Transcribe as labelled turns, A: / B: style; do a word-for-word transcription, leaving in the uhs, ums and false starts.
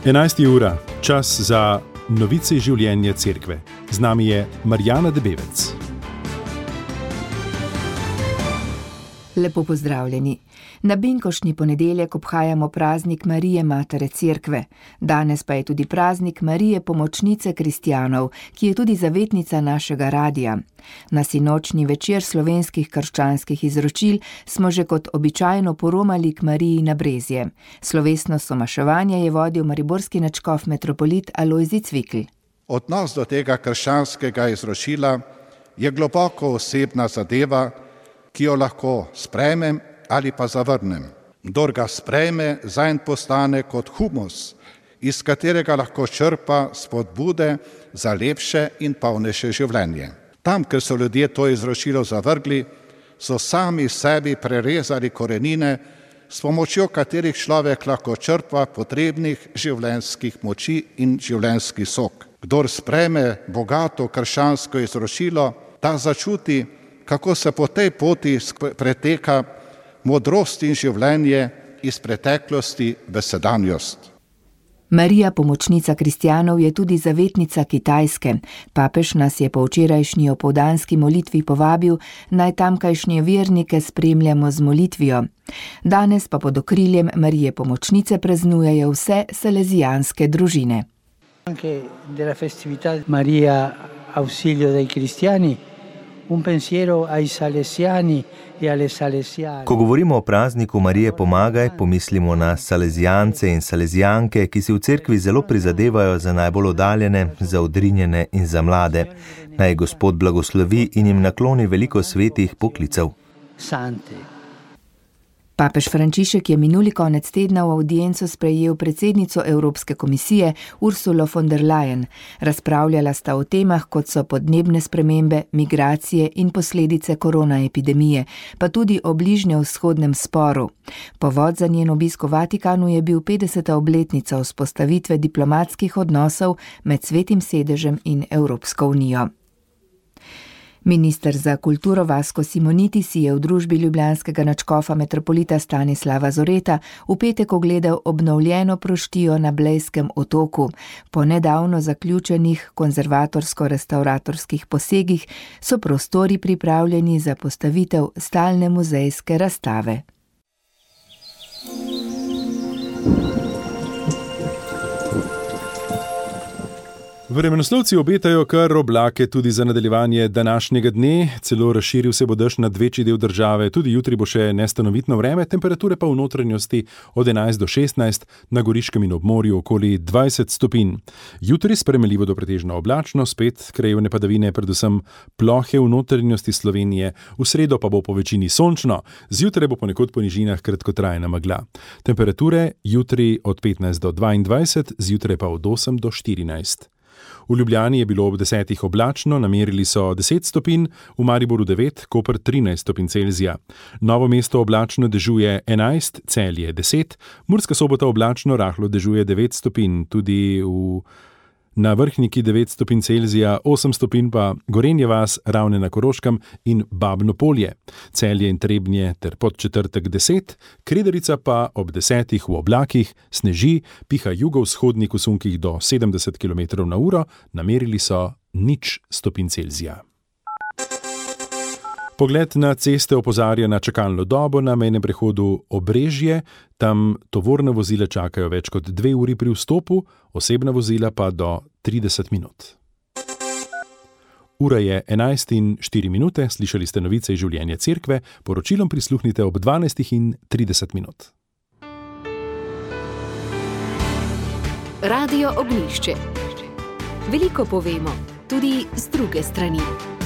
A: enajsta ura, čas za novice iz življenja cerkve. Z nami je Marjana Debevec.
B: Lepo pozdravljeni. Na binkoštni ponedeljek obhajamo praznik Marije Matere Cerkve. Danes pa je tudi praznik Marije Pomočnice kristjanov, ki je tudi zavetnica našega radia. Na sinočni večer slovenskih krščanskih izročil smo že kot običajno poromali k Mariji na Brezje. Slovesno somaševanje je vodil mariborski nadškof metropolit Alojzij Cvikl.
C: Odnos do tega krščanskega izročila je globoko osebna zadeva, ki jo lahko sprejmem ali pa zavrnem. Kdor ga sprejme, zanj postane kot humus, iz katerega lahko črpa spodbude za lepše in polnejše življenje. Tam, ker so ljudje to izročilo zavrgli, so sami sebi prerezali korenine, s pomočjo katerih človek lahko črpa potrebnih življenjskih moči in življenjski sok. Kdor sprejme bogato krščansko izročilo, ta začuti, kako se po tej poti preteka modrost in življenje iz preteklosti v sedanjost.
B: Marija Pomočnica kristjanov je tudi zavetnica Kitajske. Papež nas je po včerajšnji opoldanski molitvi povabil, naj tamkajšnje vernike spremljamo z molitvijo. Danes pa pod okriljem Marije Pomočnice praznujejo vse salezijanske družine.
D: Anche della festività Maria Ausilio dei Cristiani. Un pensiero ai salesiani e alle salesiane.
E: Ko govorimo o prazniku Marije Pomagaj, pomislimo na salezijance in salezijanke, ki si v cerkvi zelo prizadevajo za najbolj oddaljene, za odrinjene in za mlade. Naj Gospod blagoslovi in jim nakloni veliko svetih poklicev.
D: Sante.
B: Papež Frančišek je minuli konec tedna v avdienco sprejel predsednico Evropske komisije Ursulo von der Leyen. Razpravljala sta o temah, kot so podnebne spremembe, migracije in posledice koronaepidemije, pa tudi o bližnjevzhodnem sporu. Povod za njen obisk v Vatikanu je bil petdeseta obletnica vzpostavitve diplomatskih odnosov med Svetim sedežem in Evropsko unijo. Minister za kulturo Vasko Simoniti si je v družbi ljubljanskega nadškofa metropolita Stanislava Zoreta v petek ogledal obnovljeno proštijo na Blejskem otoku. Po nedavno zaključenih konzervatorsko-restauratorskih posegih so prostori pripravljeni za postavitev stalne muzejske razstave.
A: Vremenoslovci obetajo kar oblake tudi za nadaljevanje današnjega dne, celo razširil se bo dež nad večji del države, tudi jutri bo še nestanovitno vreme, temperature pa v notranjosti od enajst do šestnajst, na Goriškem in obmorju okoli dvajset stopinj. Jutri spremenljivo do pretežno oblačno, spet krajevne padavine, predvsem plohe v notranjosti Slovenije, v sredo pa bo po večini sončno, zjutraj bo ponekod po nižinah kratkotrajna megla. Temperature jutri od petnajst do dvaindvajset, zjutraj pa od osem do štirinajst. V Ljubljani je bilo ob desetih oblačno, namerili so deset stopinj, v Mariboru devet, Koper trinajst stopinj Celzija. Novo mesto oblačno dežuje enajst, Celje deset, Murska Sobota oblačno rahlo dežuje devet stopinj, tudi v na Vrhniki devet stopinj Celzija, osem stopinj pa Gorenje vas, Ravne na Koroškem in Babno Polje. Celje in Trebnje ter Podčetrtek deset, Kredarica pa ob desetih v oblakih, sneži, piha jugovzhodnik v sunkih do sedemdeset kilometrov na uro, namerili so nič stopinj Celzija. Pogled na ceste opozarja na čakalno dobo na mejnem prehodu Obrežje, tam tovorna vozila čakajo več kot dve uri pri vstopu, osebna vozila pa do trideset minut. Ura je enajst in štiri minute, slišali ste novice iz življenja cerkve, poročilom prisluhnite ob dvanajst in trideset minut.
F: Radio Ognjišče. Veliko povemo, tudi z druge strani.